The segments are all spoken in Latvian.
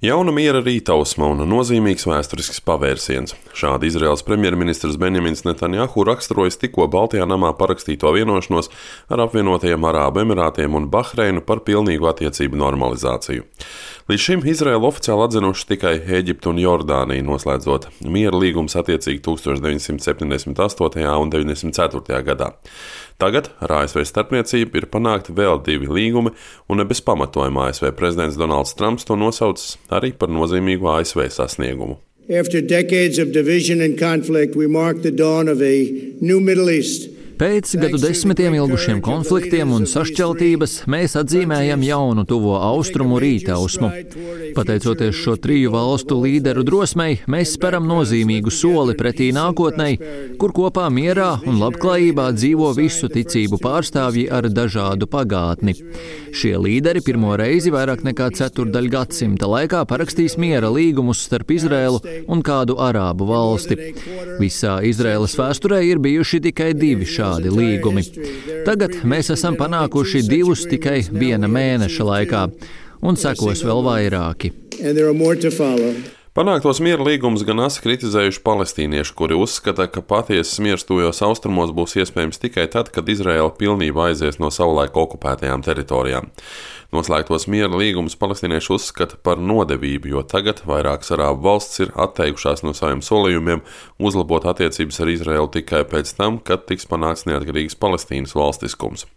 Jauna miera rītausma un nozīmīgs vēsturisks pavērsiens. Šādi Izraēlas premjerministrs Benjamins Netanjahu raksturojas tikko Baltijā namā parakstīto vienošanos ar apvienotajiem Arābu Emirātiem un Bahreinu par pilnīgu attiecību normalizāciju. Līdz šim Izraēlu oficiāli atzinuši tikai Ēģipte un Jordānija, noslēdzot miera līgumus attiecīgi 1978. un 94. gadā. Tagad ar ASV starpniecību ir panākti vēl 2 līgumi, un ne bez pamatojuma ASV prezidents Donalds Trumps to nosaucis arī par nozīmīgu ASV sasniegumu. After decades of division and conflict, we mark the dawn of a new Middle East. Pēc gadu desmitiem ilgušiem konfliktiem un sašķeltības mēs atzīmējam jaunu tuvo austrumu rītausmu. Pateicoties šo 3 valstu līderu drosmei, mēs speram nozīmīgu soli pretī nākotnei, kur kopā mierā un labklājībā dzīvo visu ticību pārstāvji ar dažādu pagātni. Šie līderi pirmo reizi vairāk nekā ceturtdaļgadsimta laikā parakstīs miera līgumus starp Izraēlu un kādu arābu valsti. Visā Izraēlas vēsturē ir bijuši tikai 2 šādi līgumi. Tagad mēs esam panākuši 2 tikai 1 mēneša laikā, un sekos vēl vairāki. Panāktos miera līgumus gan asi kritizējuši palestīnieši, kuri uzskata, ka patiesas miers tuvajos austrumos būs iespējams tikai tad, kad Izraēla pilnībā aizies no savulaik okupētajām teritorijām. Noslēgtos miera līgumus palestīnieši uzskata par nodevību, jo tagad vairākas arābu valstis ir atteikušās no saviem solījumiem uzlabot attiecības ar Izraēlu tikai pēc tam, kad tiks panākts neatkarīgas Palestīnas valstiskums.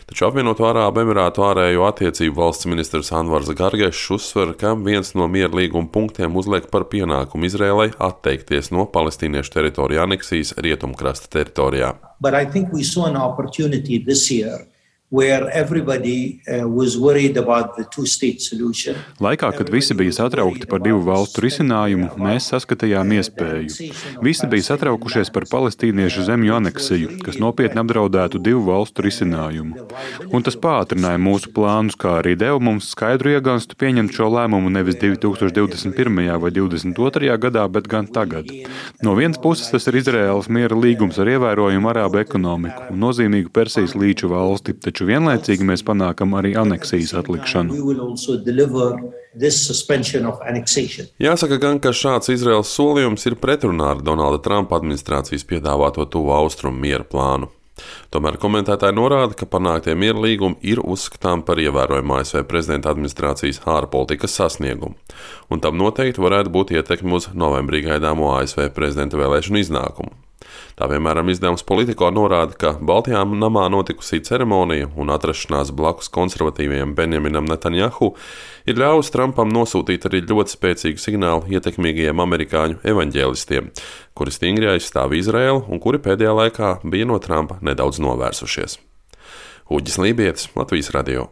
Taču apvienoto Arābu Emirātu ārējo attiecību valsts ministrs Anvars Gargešs uzsver, ka viens no miera līguma punktiem uzliek par pienākumu Izraēlai atteikties no palestīniešu teritoriju aneksijas rietumkrasta teritorijā. But I think we saw an opportunity this year where everybody was worried about the two-state solution. Laikā, kad visi bija satraukti par 2 valstu risinājumu, mēs saskatījām iespēju. Visi bija satraukušies par palestīniešu zemju aneksiju, kas nopietni apdraudētu 2 valstu risinājumu. Un tas pātrināja mūsu plānus, kā arī deva mums skaidru iegānstu pieņemt šo lēmumu nevis 2021. vai 2022. gadā, bet gan tagad. No vienas puses tas ir Izraēlas miera līgums ar ievērojumu arābu ekonomiku un nozīmīgu Persijas līča valsti, taču vienlaicīgi mēs panākam arī aneksijas atlikšanu. Jāsaka gan, ka šāds Izraēlas solījums ir pretrunā ar Donalda Trumpa administrācijas piedāvāto tuvo austrumu miera plānu. Tomēr komentētāji norāda, ka panāktie miera līgumi ir uzskatām par ievērojumu ASV prezidenta administrācijas ārpolitikas sasniegumu, un tam noteikti varētu būt ietekme uz novembrī gaidāmo ASV prezidenta vēlēšanu iznākumu. Tā piemēram izdevums Politico norāda, ka Baltijā namā notikusī ceremonija un atrašanās blakus konservatīvajam Benjaminam Netanjahu ir ļāvusi Trumpam nosūtīt arī ļoti spēcīgu signālu ietekmīgajiem amerikāņu evaņģēlistiem, kuri stingri aizstāv Izraēlu un kuri pēdējā laikā bija no Trumpa nedaudz novērsušies. Uģis Lībietis, Latvijas radio.